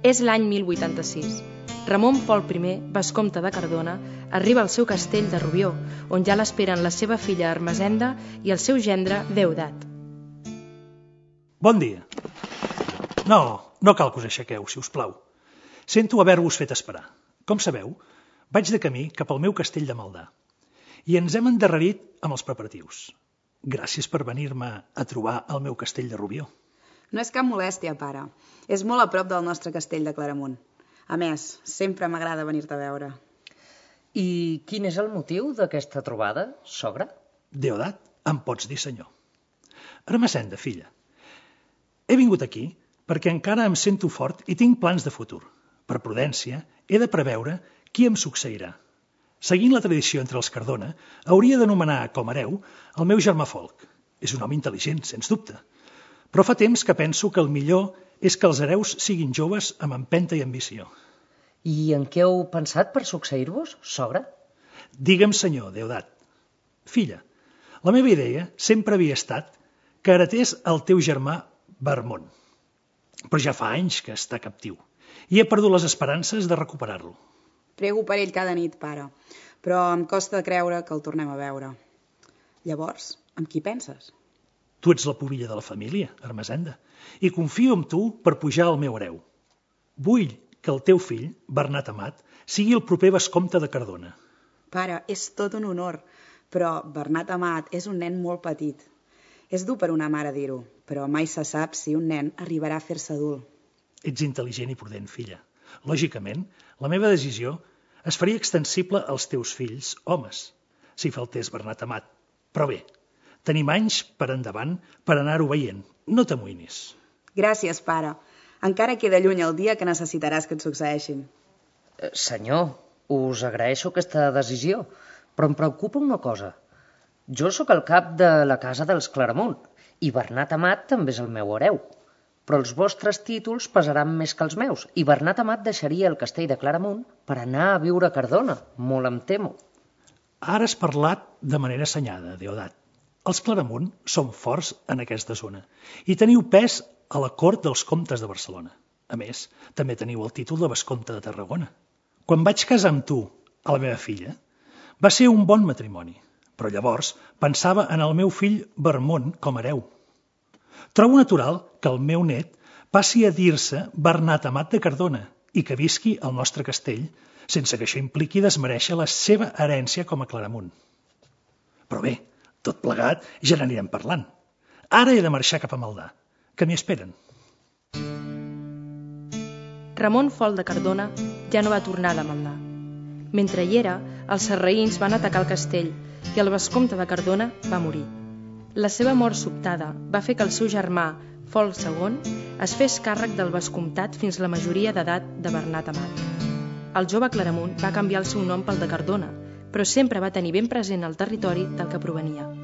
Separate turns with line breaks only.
És l'any 1086. Ramon Pol I, vescomte de Cardona, arriba al seu castell de Rubió, on ja l'esperen la seva filla Ermesenda i el seu gendre Deodat.
Bon dia. No cal que us aixequeu, si us plau. Sento haver-vos fet esperar. Com sabeu, vaig de camí cap al meu castell de Maldà i ens hem endarrerit amb els preparatius. Gràcies per venir-me a trobar al meu castell de Rubió.
No és cap molèstia, pare. És molt a prop del nostre castell de Claramunt. A més, sempre m'agrada venir-te a veure.
I quin és el motiu d'aquesta trobada, sogra?
Deodat, em pots dir senyor. Ermesenda, filla, he vingut aquí perquè encara em sento fort i tinc plans de futur. Per prudència, he de preveure qui em succeirà. Seguint la tradició entre els Cardona, hauria d'anomenar com hereu el meu germà Folc. És un home intel·ligent, sens dubte. Però fa temps que penso que el millor és que els hereus siguin joves amb empenta i ambició.
I en què heu pensat per succeir-vos, sogra?
Digue'm, senyor, Deodat. Filla, la meva idea sempre havia estat que heretés el teu germà Vermont. Però ja fa anys que està captiu i he perdut les esperances de recuperar-lo.
Prego per ell cada nit, pare, però em costa creure que el tornem a veure. Llavors, amb qui penses?
Tu ets la pubilla de la família, Ermesenda, i confio en tu per pujar al meu hereu. Vull que el teu fill, Bernat Amat, sigui el proper vescomte de Cardona.
Pare, és tot un honor, però Bernat Amat és un nen molt petit. És dur per una mare dir-ho, però mai se sap si un nen arribarà a fer-se adult.
Ets intel·ligent i prudent, filla. Lògicament, la meva decisió es faria extensible als teus fills, homes, si faltés Bernat Amat. Però bé, tenim anys per endavant per anar-ho veient. No t'amoïnis.
Gràcies, pare. Encara queda lluny el dia que necessitaràs que et succeeixin.
Senyor, us agraeixo aquesta decisió, però em preocupa una cosa. Jo sóc el cap de la casa dels Claramunt i Bernat Amat també és el meu hereu. Però els vostres títols pesaran més que els meus i Bernat Amat deixaria el castell de Claramunt per anar a viure a Cardona. Molt em temo.
Ara has parlat de manera assenyada, Deodat. Els Claramunt són forts en aquesta zona i teniu pes a la cort dels comtes de Barcelona. A més, també teniu el títol de vescomte de Tarragona. Quan vaig casar amb tu, a la meva filla, va ser un bon matrimoni, però llavors pensava en el meu fill Vermont com a hereu. Trobo natural que el meu net passi a dir-se Bernat Amat de Cardona i que visqui al nostre castell sense que això impliqui desmerèixer la seva herència com a Claramunt. Però bé, tot plegat ja n'anirem parlant. Ara he de marxar cap a Maldà, que m'hi esperen.
Ramon Fol de Cardona ja no va tornar de Maldà. Mentre hi era, els sarraïns van atacar el castell i el vescomte de Cardona va morir. La seva mort sobtada va fer que el seu germà, Folc II, es fes càrrec del vescomtat fins la majoria d'edat de Bernat Amat. El jove Claramunt va canviar el seu nom pel de Cardona, però sempre va tenir ben present el territori del que provenia.